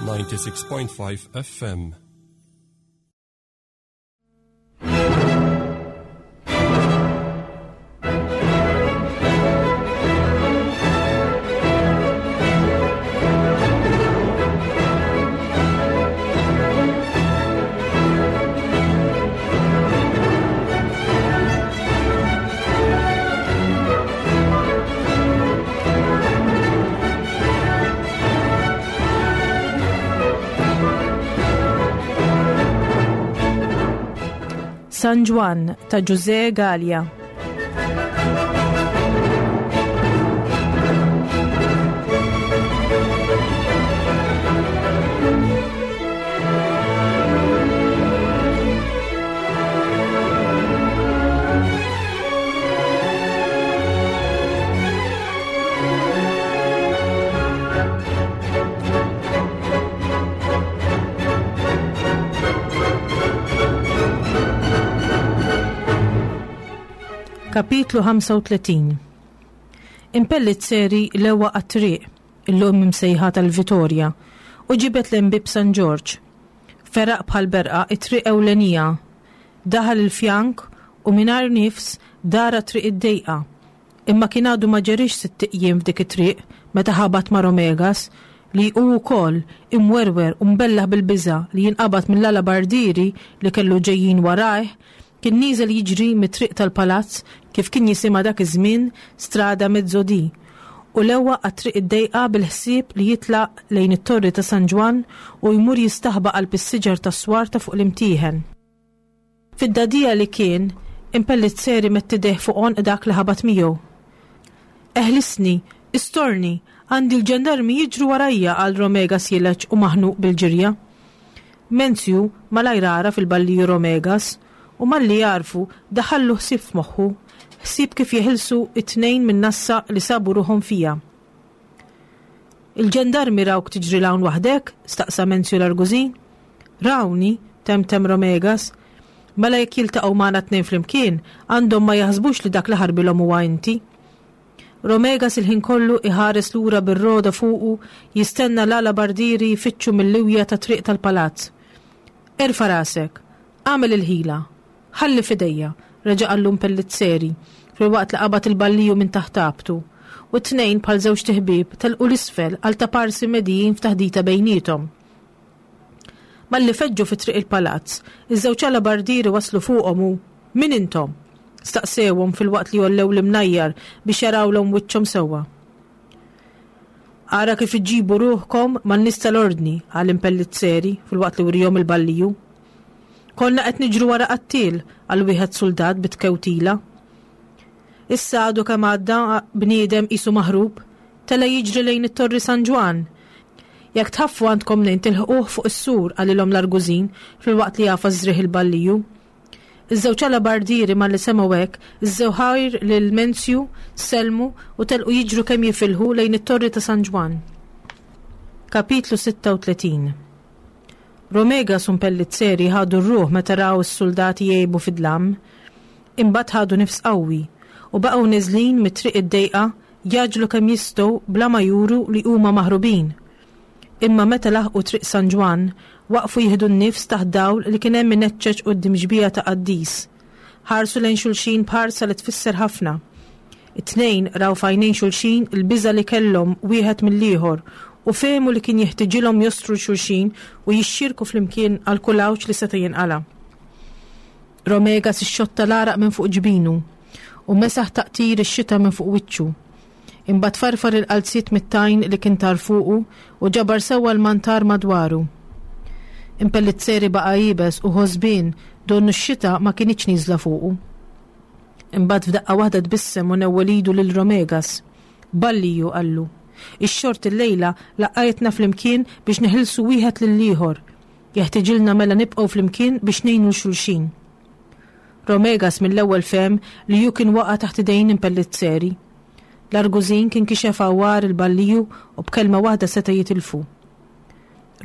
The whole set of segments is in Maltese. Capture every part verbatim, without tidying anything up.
ninety-six point five F M. San Ġwann ta' Ġużè Galea. Kapitlu ħamsa u tletin. Impellizzeri lewa għat-triq, illum imsejħa tal-Vitorja, u ġibet l-Imbib San Ġorġ. Feraq bħal berqa it-triq ewlenija, daħal il-fjank u mingħajr nifs dara triq id-dejqa. Imma kien għadu ma ġerix sitt ijiem f'dik it-triq meta ħabat ma' Romegas li hu wkoll imwerwer u mbellaħ bil-biża' li jinqabad mill-alabardieri li kellu ġejjin warajh, kien nieżel jiġri mit-triq tal-palazz kif kien jisimha dak iż-żmien Strada Mezzodì, u lewa għat-triq id-dejqa bil-ħsieb li jitlaq lejn it-torri ta' San Ġwann u jmur jistaħba qalb is-siġar tas-swar ta' fuq l-imtieħen. Fid-dadija li kien, Impellizzeri mett idejh fuq għonq dak li ħabat miegħu. Eħlisni, istorni, għandi l-ġendarmi jiġru warajja, qal Romegas jileġ u maħnuq bil-ġirja. Menzju malajr għaraf il-balliju Romegas u malli jarfu daħallu ħsieb f'moħħu, ħsieb kif jeħilsu it-tnejn minn nassa li sabu ruħhom fija. Il-ġendarmi rawk tiġri l-hawn waħdek? Staqsa Menzju l-Argużin. Rawni, temtem Romegas. Mela jekk jiltaqgħu magħna tnejn flimkien, għandhom ma jaħsbux li dak li ħarbilhom huwa inti. Romegas il-ħin kollu iħares lura bir-roda fuqu, jistenna l-alabardieri jfittxu mill-liwja ta' triq tal-palazz. Erfa' rasek, għamel il-ħila, ħalli fidejja, reġa' qallu Impellizzeri, filwaqt li qabad il-balliju minn taħt abtu, u t-tnejn bħal żewġ tiħbieb telqu l-isfel għal ta' parsi medijin f'taħdita bejniethom. Malli feġġu fi triq il-palazz, iż-żewġ alabardieri waslu fuqhom u min intom? Staqsewhom filwaqt li jollew l-imnajjar biex jarawlhom wiċċhom sewwa. Ara kif iġibu ruħkom man-nies tal-ordni, qal Impellizzeri filwaqt li wrihom il-balliju. Konna qed niġru wara qattiel, għal wieħed suldat bit-kewtila. Issa għadu kemm għadda bniedem qisu maħrub, tela jiġri lejn it-Torri San Ġwann. Jekk tħaffu għandkom nejn tilħquh fuq is-sur, qalilhom l-Argużin filwaqt li jafas żrieħ il-balliju. Iż-żewġ alabardieri malli semgħu hekk, iżżew ħajr lil Menzju, sellmu u telqu jiġru kemm jifilħu lejn it-Torri ta' San Ġwann. Kapitlu sitta u tletin. Romegas u Impellizzeri ħadu r-ruħ meta raw is-soldati jgħibu fid-dlam, imbagħad ħadu nifs qawwi u baqgħu neżlin mit-triq id-dejqa jaġlu kemm jistgħu bla ma juru li huma maħrubin. Imma meta laħqu triq San Ġwann, waqfu jieħdu n-nifs taħt dawl li kien hemm ineċċeċ quddiem xbieha ta' qaddis. Ħarsu lejn xulxin b'ħarsa li tfisser ħafna. It-tnejn raw f'għajnejn xulxin il-biża' li kellhom wieħed mill-ieħor u fehmu li kien jeħtiġilhom jostru xulxin u jixxirku flimkien għal kull għawġ li seta' jinqala. Romegas ixxotta l-għaraq minn fuq ġbinu u mesaħ taqtir ix-xita minn fuq wiċċu. Imbagħad farfar il-qalziet mit-tajn li kien tar fuqu u ġabar sewwa l-mantar madwaru. Impellizzeri baqa' iebes u ħosbien donnu x-xita ma kinitx nieżla fuqu. Imbagħad f'daqqa waħda tbissem u newwel idu lil Romegas. Balliju, qallu. Ix-xort illejla laqqajtna flimkien biex neħilsu wieħed lill-ieħor. Jeħtiġilna mela nibqgħu flimkien biex ngħinu l xulxin. Romegas mill-ewwel fehem li hu kien waqa' taħt idejn Impellizzeri. L-Argużin kien kixef għawar il-balliju u b'kelma waħda seta' jitilfu.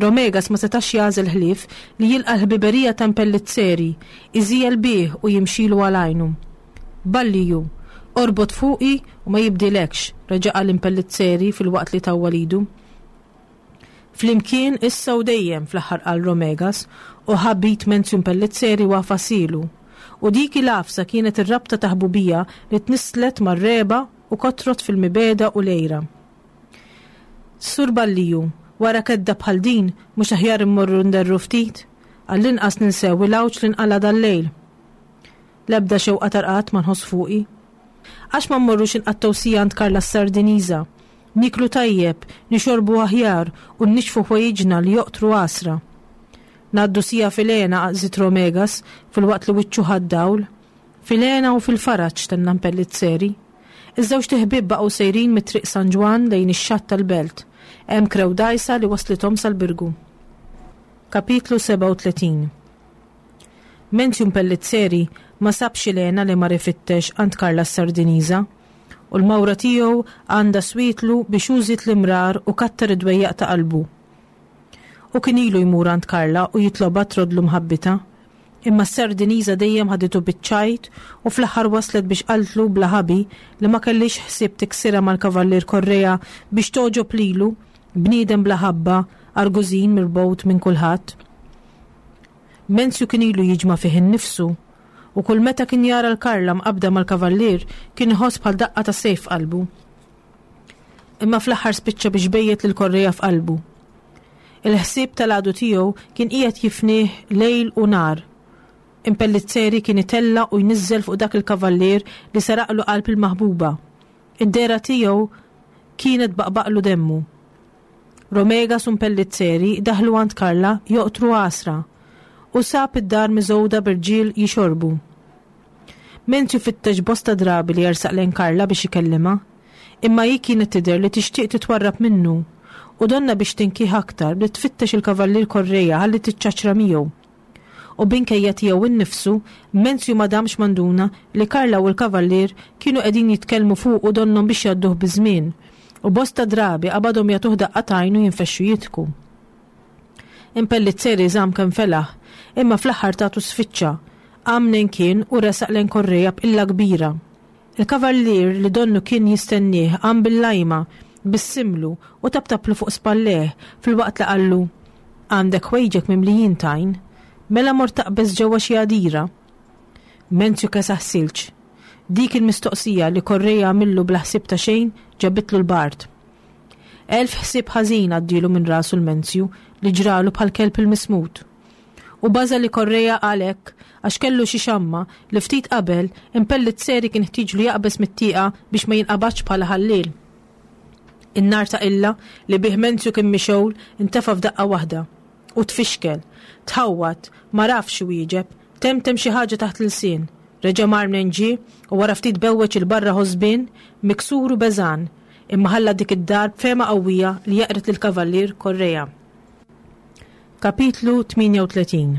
Romegas ma setax jagħżel ħlief li jilqa' l-ħbiberija ta' Impellizzeri, iżijel bih u jimxilu għal għajnu. Balliju, orbot fuqi u ma jibdilekx, reġa' qal Impellizzeri fil-waqt li tawwal idu. Flimkien issa u dejjem, fl-aħħar qal Romegas u ħabit Menzju Impellizzeri u għafasilu. U dik il-għafsa kienet ir-rabta ta' ħbubija li tnisslet mar-regħba u kotrot fil-mibegħda u l-għira. Sur Balliju, wara kedda bħal din mhux aħjar immorru nderru ftit? Għall-inqas ninsew il-għawġ li nqala' dal-lejl. L-ebda xewqa ta' rqad ma nħoss fuqi. Għax ma mmorrux inqattgħu siegħa għand Karla s-Sardiniża? Nieklu tajjeb, nixorbu aħjar u nnixxfu ħwejjiġna li joqtru għasra. Ngħaddu siegħa fil-hena, żied Romegas filwaqt li wiċċu ħa d-dawl. Fil-hena u fil-faraġ, tenna Mpellizzeri. Iż-żewġt iħbieb baqgħu sejrin mit-Triq San Ġwann lejn ix-xatt tal-belt. Hemm krew dgħajsa li wasslithom sal-Birgu. Kapitlu sebgħa u tletin Menzju Mpellizzeri ma sabx il-hena li mar ifittex għand Karla s-Sardiniża, u l-mawra tiegħu għandha swietlu biex hu żied l-imrar u kattar id-dwejjaq ta' qalbu. Hu kien ilu jmur għand Karla u jitlobha troddlu mħabbitha, imma s-Sardiniża dejjem ħaditu biċ-ċajt u fl-aħħar waslet biex qaltlu bla ħabi li ma kellhiex ħsieb tiksirha mal-Kavallier Correa biex togħġob lilu, bniedem bla ħabba, argużin mirbgħud minn kulħadd. Menzju kien ilu jiġma' fih innifsu, u kull meta kien jara 'l Karla mqabbda mal-kavallier kien iħoss bħal daqqa ta' sejf f'qalbu. Imma fl-aħħar spiċċa biex bejjet lil Correa f'qalbu. Il-ħsieb tal-għadu tiegħu kien qiegħed jifnih lejl u nhar. Impellizzeri kien itella' u jniżżel fuq dak il-kavallier li saraqlu qalb il-maħbuba. Id-dehra tiegħu kienet tbaqbaqlu demmu. Romegas u Mpellizzeri daħlu għand Karla joqtru għasra u sab id-dar miżgħuda b'irġiel jixorbu. Menzju fittex bosta drabi li jersaq lejn Karla biex ikellimha, imma hi kienet tidher li tixtieq titwarrab minnu u donnha biex tinkih aktar bdiet tfittex il-Kavallier Correa ħalli tiċċaċra miegħu. U b'inkejja tiegħu nnifsu, Menzju ma damx ma nduna li Karla u l-Kavallier kienu qegħdin jitkellmu fuqu donnhom biex jgħadduh biż-żmien, u bosta drabi qabadhom jagħtuh daqqa t'għajn u jinfexxu jidħku. Impellizzeri żamm kemm felaħ, imma fl-aħħar tatu sfiċċa, qam mnejn kien u resaq lejn Correa b'qilla kbira. Il-Kavallier li donnu kien jistennieh qam bil-lajma, bissimlu u taptaplu fuq spallejh filwaqt li qallu, Għandek ħwejġek mimlijin tajn, mela mort taqbeż ġewwa xi għadira. Menzju kesaħ silġ. Dik il-mistoqsija li Correa għamillu bla ħsieb ta' xejn ġabitlu l-bard. Elf ħsieb ħażin għaddielu minn rasu l-Menzju li ġralu bħal kelb il-mismut. U baża' li Correa qal hekk għax kellu xi xamma li ftit qabel Impellizzeri kien ħtieġlu jaqbeż mit-tieqa biex ma jinqabadx bħala ħalliel. In-nar ta' qilla li bih Menzju kien mixgħul intefa' f'daqqa waħda. U tfixkel. Tħawwad. M'għarafx iwieġeb. Temtem xi ħaġa taħt l-ilsien. Reġa' mar mnejn ġie u wara ftit bewweġ 'il barra ħosbien, miksur u beżgħan, imma ħalla dik id-dar b'fehma qawwija li jeqred lill-Kavallier Correa. Kapitlu tmienja u tletin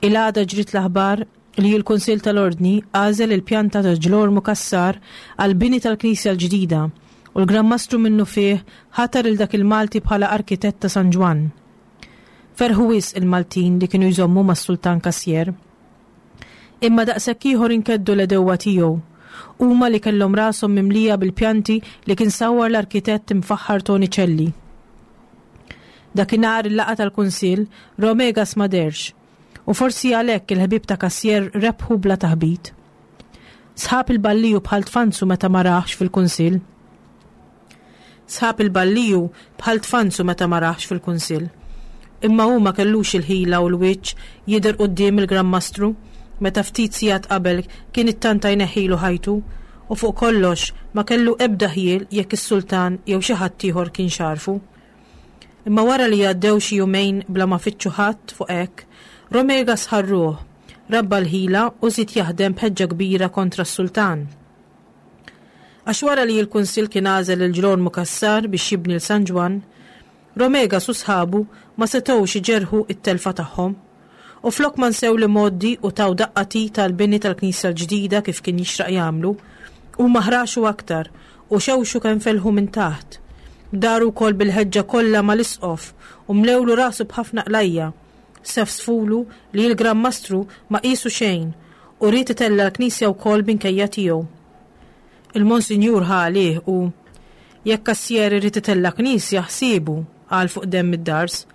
Il-għada ġriet l-aħbar li l-Kunsill tal-Ordni għażel il-pjanta ta' Ġlormu Cassar għall-bini tal-knisja l-ġdida u l-Gran Mastru minnufih ħatar 'il dak il-Malti bħala arkitett ta' San Ġwann. Ferħu wisq il-Maltin li kienu jżommu mas-Sultan Cassier. Imma daqshekk ieħor inkeddu l-għedewwa tiegħu, huma li kellhom rashom mimlija bil-pjanti li kien sawwar l-arkitett imfaħħar Toni Celli. Dakinhar il-laqgħa tal-Kunsill, Romegas ma dehrx, u forsi għalhekk il-ħbieb ta' Cassier rebħu bla taħbit. Sħab il-balliju bħal tfanzu meta ma rahx fil-Kunsill. Sħab il-balliju bħal tfanzu meta ma rahx fil-Kunsill. Imma hu ma kellux il-ħila u l-wiċċ jidher quddiem il-Gran Mastru meta ftit sigħat qabel kien ittanta jneħħilu ħajtu, u fuq kollox ma kellu ebda ħjiel jekk is-sultan jew xi ħadd ieħor kienx għarfu. Imma wara li għaddew xi jumejn bla ma fittxu ħadd fuq hekk, Romegas ħa r-ruħ, rabba l-ħila u żied jaħdem b'ħeġġa kbira kontra s-sultan. Għax wara li l-Kunsill kien għażel lil Ġlormu Cassar biex jibni 'l San Ġwann, Romegas u sħabu ma setgħux iġerrħu t-telfa tagħhom. U flok ma nsew l-imgħoddi u taw daqqa t'id għall-bini tal-knisja l-ġdida kif kien jixraq jagħmlu, huma ħraxu aktar u xewxu kemm felħu minn taħt. Daru wkoll bil-ħeġġa kollha mal-isqof u mlewlu rasu b'ħafna qlajja'. Sefsfulu li l-Gran Mastru ma qiesu xejn u ried itella' l-knisja wkoll minkejja tiegħu. Il-Monsinjur ħa għalih u, jekk Cassier irid itella' knisja, ħsiebu. qal fuq demm id-dars.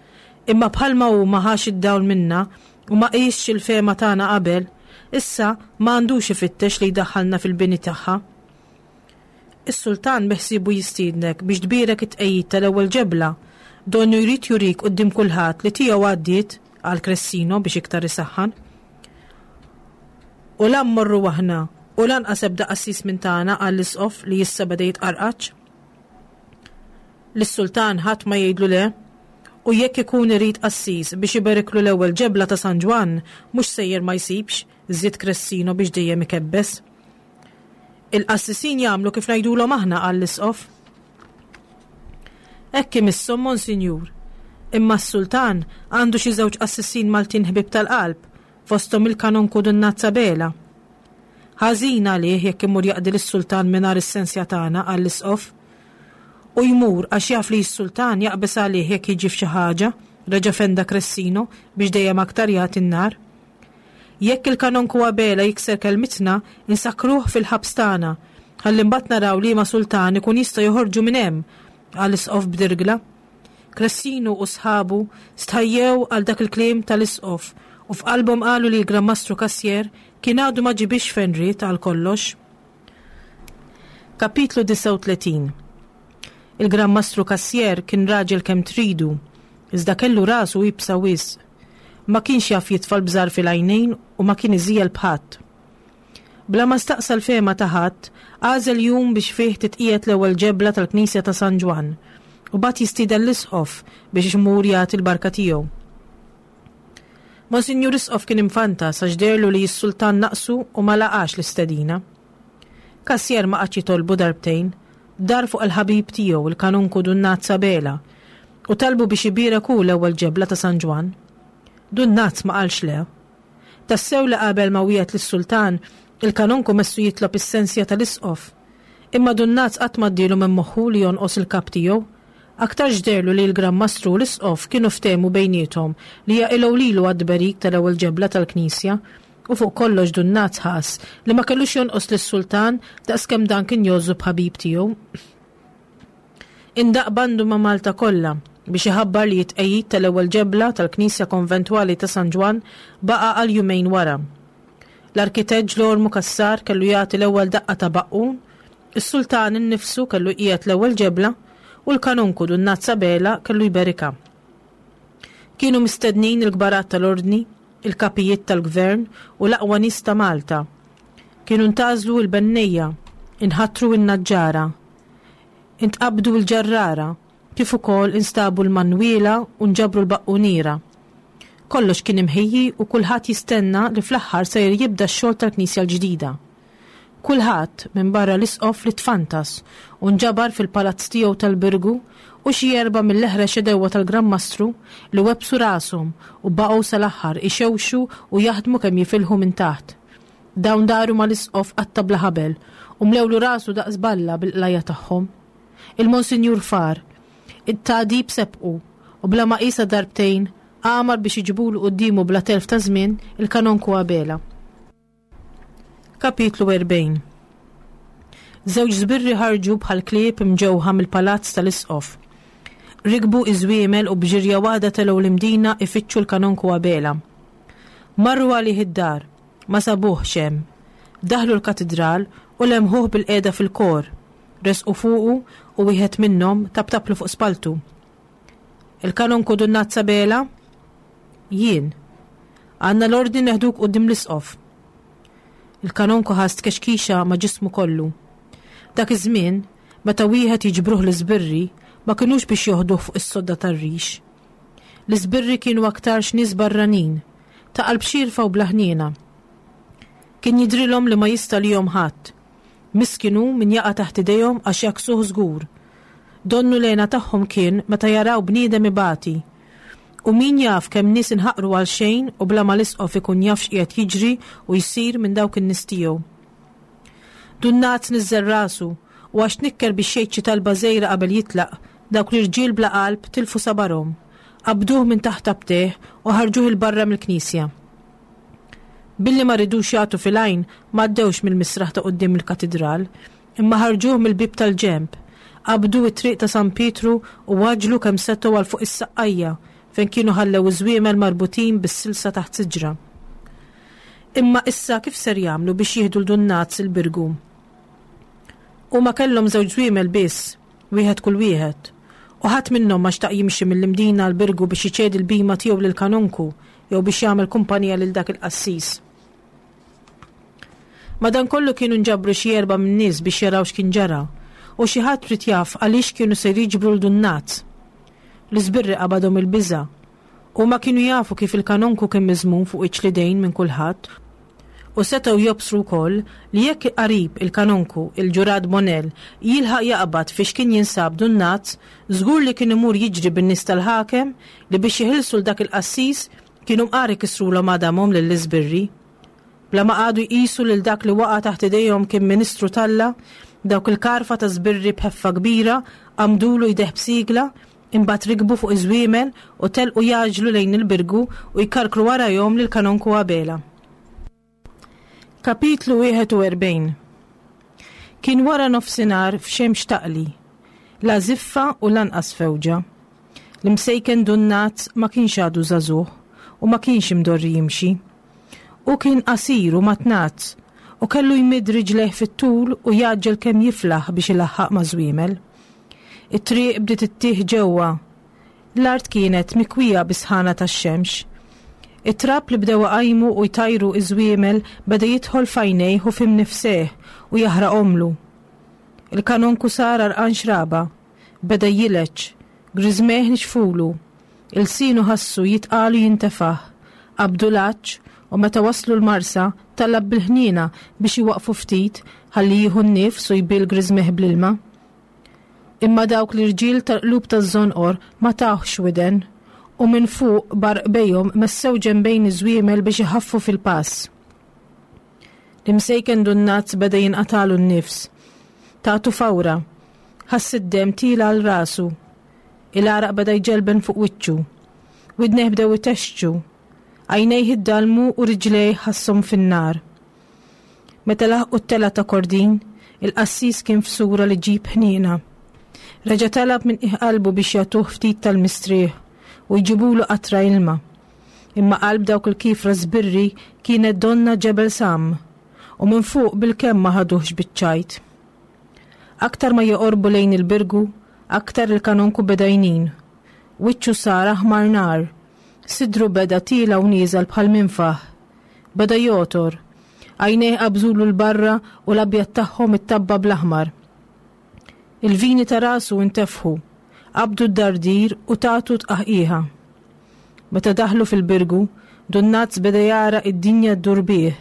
Imma bħalma hu ma ħax id-dawl minna u ma qisx il-fehma tagħna qabel, issa ma għandux ifittex li jdaħħalna fil-bini tagħha. Is-sultan beħsiebu jistiednek biex tbierek it-tqegħid tal-ewwel ġebla, donnu jrid jurik quddiem kulħadd li tiegħu għaddiet, qal Cressino biex iktar isaħħan. U la mmorru aħna u lanqas ebda qassis minn tagħna, qal l-isqof li issa beda jitqarqaċ. Lis-sultan ħadd ma jgħidlu le, u jekk ikun irid qassis biex iberiklu l-ewwel ġebla ta' San Ġwann, mhux sejjer ma jsibx, żied Cressino biex dejjem ikebbes. Il-qassisin jagħmlu kif ngħidulhom aħna, qal l-isqof. Hekk imisshom, Monsinjur. Imma s-sultan għandu xi żewġ qassisin Maltin ħbieb tal-qalb, fosthom il-kanonku Dun Nazz Abela. Ħażin għalih jekk imur jaqdi lis-sultan mingħajr is-sensja tagħna, qal l-isqof. U jmur għax jaf li s-sultan jaqbeż għalih jekk jiġi f'xi ħaġa, reġa' fenda Cressino biex dejjem aktar jagħti n-nar. Jekk il-kanonku Abela jikser kelmitna, insakkruh fil-ħabs tagħna, ħalli mbagħad naraw liema sultan ikun jista' joħorġu minn hemm, qal l-isqof b'dirgla. Cressino u sħabu stħajjew għal dak il-kliem tal-isqof u f'qalbhom qalu li l-Gran Mastru Cassier kien għadu ma ġibix fejn ried għal kollox. Kapitlu disgħa u tletin. Il-Gran Mastru Cassier kien raġel kemm tridu, iżda kellu rasu iebsa wisq. Ma kienx jaf jitfa' l-bżar fil-għajnejn u ma kien iżiegħel b'ħadd. Bla ma staqsa l-fehma ta' ħadd, għażel jum biex fih titqiegħed l-ewwel ġebla tal-Knisja ta' San Ġwann u bagħat jistieden l-isqof biex imur jagħti l-barka tiegħu. Monsinjur Isqof kien imfantas għax deherlu li s-sultan naqsu u ma laqax l-istedina. Cassier ma qagħadx jitolbu darbtejn, dar fuq il-ħabib tiegħu il-kanonku Dun Nazz Abela u talbu biex ibierek hu l-ewwel ġebla ta' San Ġwann. Dun Nazz ma qalx le. Tassew li qabel ma wiegħed lis-sultan, il-kanonku messu jitlob is-sensja tal-isqof. Imma Dun Nazz qatt ma ddielu minn moħħu li jonqos il-kap tiegħu. Aktar ġderlu li l-Gran Mastru u l-isqof kienu ftehmu bejniethom li jaqilgħu lilu għad-tberik tal-ewwel ġebla tal-Knisja, u fuq kollox Dun Nazz ħass li ma kellux jonqos lis-sultan daqskemm dan kien jgħożżu b'ħabib tiegħu. Indaq bandu ma' Malta kollha biex iħabbar li t-tqegħid tal-ewwel ġebla tal-Knisja Konventwali ta' San Ġwann baqa' għal jumejn wara. L-arkitett Ġlormu Cassar kellu jagħti l-ewwel daqqa ta' baqqun, is-sultan innifsu kellu jqiegħed l-ewwel ġebla u l-kanonku Dun Nazz Abela kellu jberikha. Kienu mistednin il-kbarat tal-ordni, il-kapijiet tal-gvern u l-aqwa nies ta' Malta. Kienu ntgħażlu l-bennejja, inħatru n-naġġara, intqabdu l-ġarrara, kif ukoll instabu l-manwiela u nġabru l-baqquniera. Kollox kien imħejji u kulħadd jistenna li fl-aħħar sejjer jibda x-xogħol tal-Knisja l-ġdida. Kulħadd minn barra l-isqof li tfantas u nġabar fil-palazz tiegħu tal-Birgu u xi erba' mill-eħrex edewwa tal-Gran Mastru li websu rashom u baqgħu sal-aħħar ixewxu u jaħdmu kemm jifilħu minn taħt. Dawn daru mal-isqof qatta bla ħabel u mlewlu rasu daqs balla bil-qlajja tagħhom. Il-Monsinjur far, it-tadib sebqu u bla ma qisha darbtejn għamar biex iġibulu quddiemu bla telf ta' żmien il-kanonku Abela. Kapitlu erbgħin. Żewġ żbirri ħarġu bħal klieb imġewħa mill-palazz tal-isqof. Rikbu iż-żwiemel u b'ġirja waħda telgħu l-imdina ifittxu l-kanonku Abela. Marru għalih id-dar, ma sabuhx hemm. Daħlu l-katidral u lemħuh bil-qiegħda fil-kor. Resqu fuqu u wieħed minnhom tabtablu fuq spaltu. Il-kanonku Dun Nazz Abela? Jien. Għandna l-ordni neħduk quddiem l-isqof. Il-kanonku ħass tkexkixa ma' ġismu kollu. Dak iż-żmien, meta wieħed jiġbruh l-iżbirri, ma kinux biex joħduh fuq is-sodda tar-rix. L-iżbirri kienu aktarx nies barranin, ta' qalb xierfa u bla ħniena. Kien jidrilhom li ma jista' lihom ħadd. Miskinu min jaqa' taħt idejhom għax jaksuh żgur. Donnu l-għena tagħhom kien meta jaraw bniedem ibati. U min jaf kemm nies inħaqru għal xejn u bla ma l-isqof ikun jaf x'qiegħed jiġri u jsir minn dawk in-nies tiegħu. Dun Nazz niżżel rasu u għax tnikker biex jgħid xi talba żgħira qabel jitlaq, dawk l-irġiel bla qalb tilfu sabarhom. Qabduh minn taħt abteh u ħarġuh il barra mill-knisja. Billi ma ridux jagħtu fil-għajn, ma għaddewx mill-misraħ ta' quddiem il-katidral, imma ħarġuh mill-bieb tal-ġenb, Qabdu it-triq ta' San Pietru u għaġġlu kemm setgħu għal fuq is-Saqqajja fejn kienu ħallew iż-żwiemel marbutin bis-silsa taħt siġra. Imma issa kif ser jagħmlu biex jieħdu 'l Dun Naz il-Birgu? Huma kellhom żewġ żwiemel biss, wieħed kull wieħed, u ħadd minnhom ma xtaq jimxi mill-Imdina għall-Birgu biex iċedi l-bhima tiegħu lill-kanonku jew biex jagħmel kumpanija lil dak il-qassis. Madankollu kienu nġabru xi erba' min-nies biex jaraw x'kien ġara, u xi ħadd ried jaf għaliex kienu se jiġbru 'l Dun Naz. L-iżbirri qabadhom il-biża'. Huma kienu jafu kif il-kanonku kien miżmum fuq wiċċ l-idejn minn kulħadd, u setgħu jobsru wkoll li jekk qarib il-kanonku, il-ġurat Bonell, jilħaq jaqbad fiex kien jinsab Dun Naz, żgur li kien imur jiġri bin-nies tal-ħakem li biex jeħilsu 'l dak il-qassis kienu mqar ikissrulhom għadamhom lill-iżbirri. Bla ma qagħdu jqisu lil dak li waqa' taħt idejhom kien ministru t'Alla, dawk il-karfa ta' żbirri b'ħeffa kbira għamdulu jdejh b'sigla, imbagħad rikbu fuq iż-żwiemel u telqu jgħaġġlu lejn il-Birgu u jkarkru warajhom lil Kanonku Abela. Kapitlu wieħed u erbgħin. Kien wara nofsinhar f'xemx taqli, la żiffa u lanqas fewġa. L-imsejken Dun Naz ma kienx għadu żagħżugħ u ma kienx imdorri jimxi. Hu kien qasir u matnaz u kellu jmidd riġlejh fit-tul u jgħaġġel kemm jiflaħ biex ilaħħaq ma' żwiemel. It-triq bdiet ittih ġewwa. L-art kienet mikwija bis-sħana tax-xemx. It-trab li bdew iqajmu u jtajru iż-żwiemel beda jidħol f'għajnejh u f'imnifsejh u jaħraqhomlu. Il-kanonku sar għarqan xraba, beda jileċ, griżmejh nixfulu, ilsienu ħassu jitqalu jintefaħ, qabdu l-għatx u meta waslu l-Marsa talab bil-ħniena biex iwaqfu ftit ħalli jieħu n-nifs u jbil griżmejh bl-ilma. Imma dawk l-irġiel tal-qlub taż-żonqor ma tawhx widen u minn fuq b'għarkobbejhom messew ġenbejn iż-żwiemel biex iħaffu fil-pass. L-imsejken Dun Naz beda jinqatalu n-nifs. Tatu fawra, ħass id-demm tiela' għal rasu. Il-għaraq beda jġelben fuq wiċċu. Widnejh bdew itexxu. Għajnejh iddalmu u riġlejh ħasshom fin-nar. Meta laħqu t-tela ta' Kordin, il-qassis kien f'sura li ġib ħniena. Reġa' talab minn qiegħ qalbu biex jagħtuh ftit tal-mistrieħ u jġibulu qatra ilma. Imma qalb dawk il-kifra żbirri kienet donna ġebel sam u minn fuq bil-kemm ma ħaduhx biċ-ċajt. Aktar ma joqorbu lejn il-Birgu, aktar il-kanonku beda jnin. Wiċċu sar aħmar nar, sidru beda tiela u nieżel bħal minfaħ. Beda jotor, għajnejh qabżulu l-barra u l-abjad tagħhom ittabba bl-aħmar. Il-vini ta' rasu intefħu, qabdu d-dardir u tatu tqaħqiħa. Meta daħlu fil-Birgu, Dun Naz beda jara id-dinja ddur bih.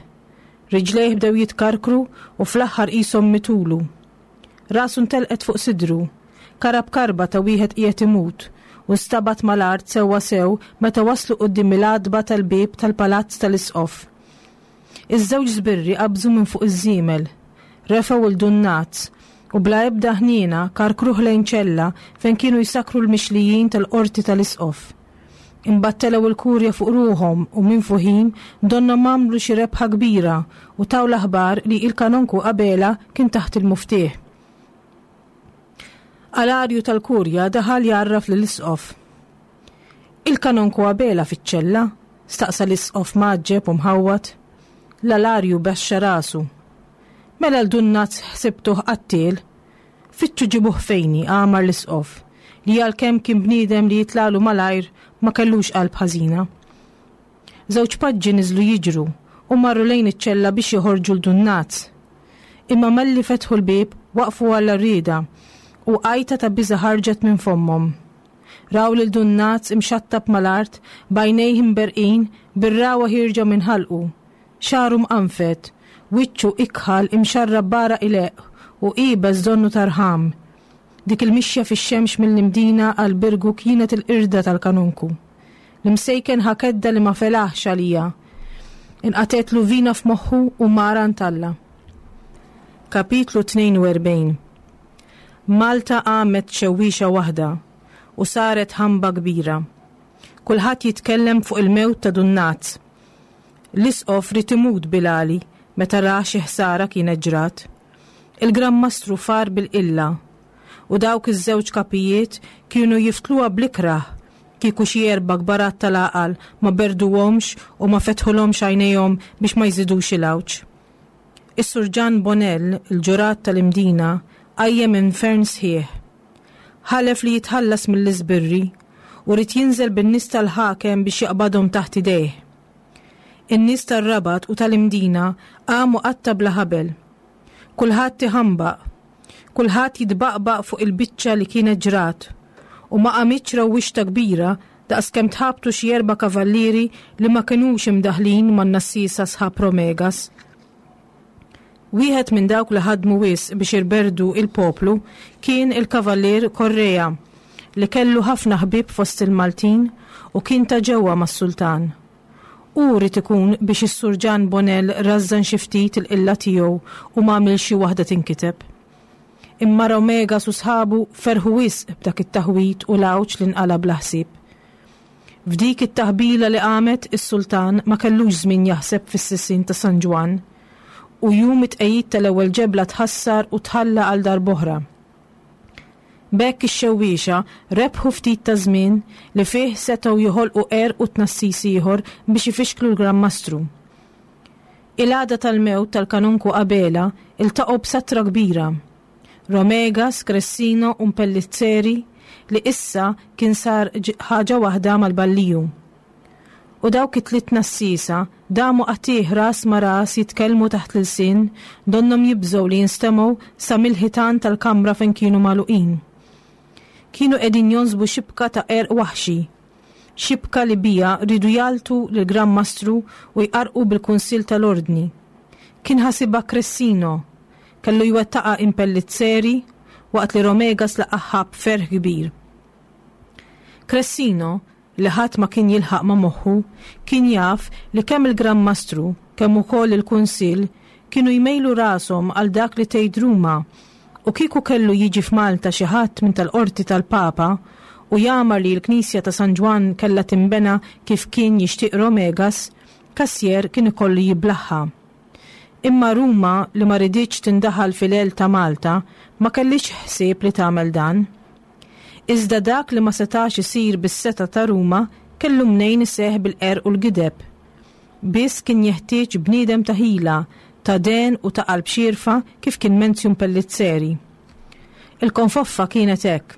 Riġlejh bdew jitkarkru u fl-aħħar qishom mitulu. Rasu ntelqet fuq sidru, karab karba ta' wieħed qiegħed imut u stabat mal-art sewwa sew meta waslu quddiem il-għatba tal-bieb tal-palazz tal-isqof. Iż-żewġ żbirri qabżu minn fuq iż-żiemel, refgħu 'l Dun Naz u bla ebda ħniena karkruh lejn ċella fejn kienu jsakru l-mixlijin tal-qorti tal-isqof. Imbagħad telgħu l-kurja fuq ruħhom u minn fuħin donna m'għamlu xi rebħa kbira u taw l-aħbar li il-kanonku Abela kien taħt il-muftieħ. Alarju tal-kurja daħal jgħarraf lill-isqof. Il-kanonku Abela fiċ-ċella? Staqsa l-isqof mgħaġġeb u mħawwad. L-alarju baxxa rasu. Mela l-Dun Naz ħsibtuh qattiel. Fittxu ġibuh fejni, għamar l-isqof, li għalkemm kien bniedem li jitlalu malajr ma kellux qalb ħażina. Żewġ paġġi niżlu jiġru u marru lejn iċ-ċella biex joħorġu l-Dun Naz. Imma malli fetħu l-bieb waqfu għal rieda u għajta ta' biża' ħarġet minn fommhom. Raw lil Dun Naz imxattab mal-art b'għajnejh imberqin bir-rawa ħierġa minn ħalqu, xagħru mqanfed, wiċċu ikħal imxarrab b'għaraq ileqq u iebes donnu tarħam. Dik il-mixja fix-xemx mill-Imdina għal Birgu kienet il-qirda tal-kanonku. L-imsejken ħakedda li ma felaħx għalija. Inqatetlu vina f'moħħu u mara ntalla. Kapitlu tnejn u erbgħin. Malta qamet xewwiexa waħda u saret ħamba kbira. Kulħadd jitkellem fuq il-mewt ta' Dun Naz. L-isqof ried imut bilali meta ra xi ħsara kienet ġrat. Il-Gran Mastru far bil-qilla U dawk iż-żewġ kapijiet kienu jiftluha bl-ikrah kieku xi erba' kbarat tal-għaqal ma berduhomx u ma fetħulhomx għajnejhom biex ma jżidux il-għawġ. Is-Sur Ġan Bonell, il-ġurat tal-Imdina, qajjem infern sħiħ. Ħalef li jitħallas mill-iżbirri u ried jinżel bin-nies tal-ħakem biex jaqbadhom taħt idejh. In-nies tar-Rabat u tal-Imdina qamu qatta bla ħabel. Kulħadd iħambaq, kulħadd jitbaqbaq fuq il-biċċa li kienet ġrat, u ma qamitx rewwixta kbira daqskemm tħabtu xi erba' kavallieri li ma kinux imdaħlin man-nassiesa sħab Romegas. Wieħed minn dawk li ħadmu wisq biex irberdu il-poplu kien il-Kavallier Correa, li kellu ħafna ħbieb fost il-Maltin u kien ta' ġewwa mas-sultan. Hu ried ikun biex is-Sur Ġan Bonell rażżan xi ftit il-qilla tiegħu u ma għamilx xi waħda tinkiteb. Imma Romegas u sħabu ferħu wisq b'dak it-taħwid u l-għawġ li nqala' bla ħsieb. F'dik it-taħbila li qamet, is-sultan ma kellux żmien jaħseb fis-sisien ta' San Ġwann, u jum it-tqegħid tal-ewwel ġebla tħassar u tħalla għal darb'oħra. B'hekk ix-xewwiexa rebħu ftit ta' żmien li fih setgħu joħolqu qerq u tnassis ieħor biex ifixklu l-Gran Mastru. Il-għada tal-mewt tal-Kanonku Abela iltaqgħu b'satra kbira. Romegas, Cressino u Mpellizzeri li issa kien sar ħaġa waħda mal-balliju. U dawk it-tliet nassisa damu qatigħ ras ma' ras jitkellmu taħt l-ilsien, donnhom jibżgħu li jinstemgħu sa mill-ħitan tal-kamra fejn kienu magħluqin. Kienu qegħdin jonsbu xibka ta' qerq waħxi, xibka li bija riedu jaltu lill-Gran Mastru u jqarrqu bil-Kunsill tal-Ordni. Kien ħasibha Cressino, kellu jwettaqha Impellizzeri waqt li Romegas laqaħħa b'ferħ kbir. Cressino, li ħadd ma kien jilħaq ma' moħħu, kien jaf li kemm il-Gran Mastru, kemm ukoll il-Kunsill kienu jmejlu rashom għal dak li tgħid Ruma, u kieku kellu jiġi f'Malta xi ħadd minn tal-qorti tal-Papa u jagħmar li l-Knisja ta' San Ġwann kellha tinbena kif kien jixtieq Romegas, Cassier kien ikollu jiblaħħa. Imma Ruma, li ma riditx tindaħal fil-għel ta' Malta, ma kellix ħsieb li tagħmel dan. Iżda dak li ma setax isir bis-seta ta' Ruma kellu mnejn iseħħ bil-qerq u l-gideb. Biss kien jeħtieġ bniedem ta' ħila, ta' den u ta' qalb xierfa kif kien Menzju Impellizzeri. Il-konfoffa kienet hekk.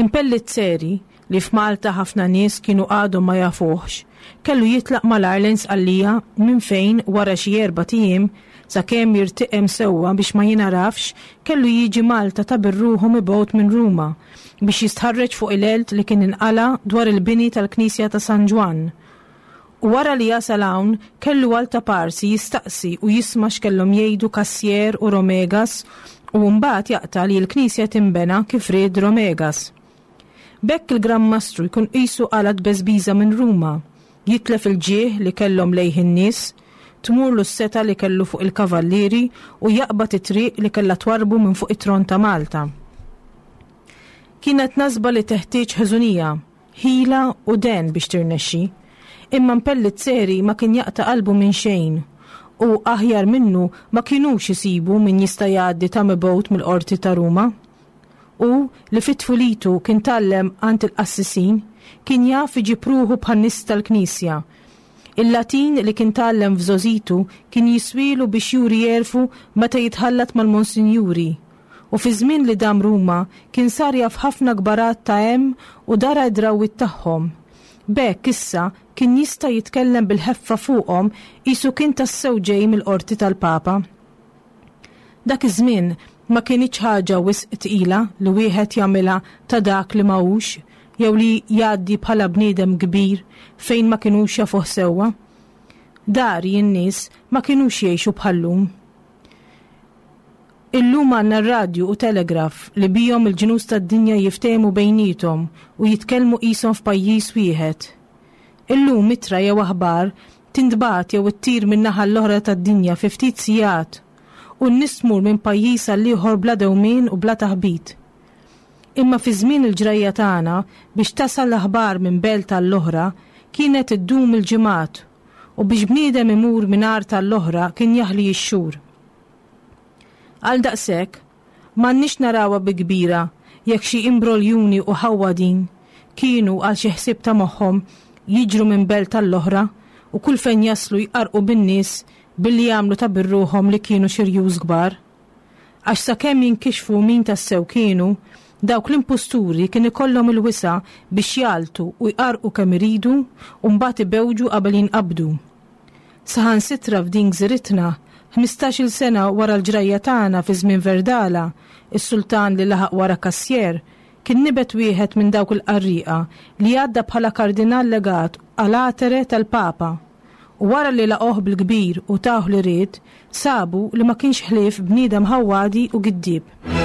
Impellizzeri, li f'Malta ħafna nies kienu għadhom ma jafuhx, kellu jitlaq malajr lejn Sqallija minn fejn wara xi erbat ijiem sakemm jirtiqem sewwa biex ma jingħarafx, kellu jiġi Malta ta' birruħu mibgħut minn Ruma biex jistħarreġ fuq il-għelt li kien inqala dwar il-bini tal-Knisja ta' San Ġwann. U wara li jasal hawn kellu għal ta' parsi jistaqsi u jisma' x'kellhom jgħidu Cassier u Romegas u mbagħad jaqta' li l-Knisja tinbena kif ried Romegas. B'hekk il-Gran Mastru jkun qisu qala tbeżbiża minn Ruma, jitlef il-ġieħ li kellhom lejh in-nies, tmurlu s-seta li kellu fuq il-kavallieri u jaqbad it-triq li kellha twarrbu minn fuq it-tron ta' Malta. Kienet nasba li teħtieġ ħeżunija, ħila u den biex tirnexxi, imma Impellizzeri ma kien jaqta' qalbu minn xejn u aħjar minnu ma kinux isibu min jista' jgħaddi ta' mibgħut mill-qorti ta' Ruma. U li fit-tfulitu kien tgħallem għand il-qassisin, kien jaf iġib ruħu bħan-nies tal-Knisja. Il-Latin li kien tgħallem f'żożitu kien jiswilu biex juri jerfu meta jitħallat mal-monsinjuri. U fi żmien li dam Ruma kien sar jaf ħafna kbarat ta' hemm u dara d-drawwiet tagħhom. B'hekk issa kien jista' jitkellem bil-ħeffa fuqhom qisu kien tassew ġej mill-qorti tal-Papa. Dak iż-żmien ma kinitx ħaġa wisq tqila li wieħed jagħmilha ta' dak li ma hux jew li jgħaddi bħala bniedem kbir fejn ma kinux jafuh sewwa. Dari n-nies ma kinux jgħixu bħal-lum. Illum għandna r-radju u telegraf li bihom il-ġnus tad-dinja jiftehmu bejniethom u jitkellmu qishom f'pajjiż wieħed. Illum ittra jew aħbar tintbagħat jew ittir minn naħa l-oħra tad-dinja fi ftit sigħat u n-nies tmur minn pajjiż għal ieħor bla dewmien u bla taħbit. Imma fi żmien il-ġrajja tagħna biex tasal l-aħbar minn belt għall-oħra kienet iddum il-ġimgħat u biex bniedem imur minn art għall-oħra kien jaħli x-xhur. Għal daqshekk, M'għandniex narawha bi kbira jekk xi imbroljuni u ħawwadin kienu għal xi ħsieb ta' moħħhom jiġru minn belt għall-oħra u kull fejn jaslu jqarrqu bin-nies billi jagħmlu ta' birruħhom li kienu xi rjus kbar. Għax sakemm jinkixfu min tassew kienu, dawk l-impusturi kien ikollhom il-wisa' biex jagħltu u jqarrqu kemm iridu u mbagħad ibewġu qabel jinqabdu. Saħansitra f'din gżiritna, ħmistax-il sena wara l-ġrajja tagħna fi żmien Verdala, is-sultan li laħaq wara Cassier, kien nibet wieħed minn dawk il-qarrieqa li għadda bħala kardinal legat għal atere tal-Papa. U wara li laqgħuh bil-kbir u tawh li ried, sabu li ma kienx ħlief bniedem ħawwadi u giddieb.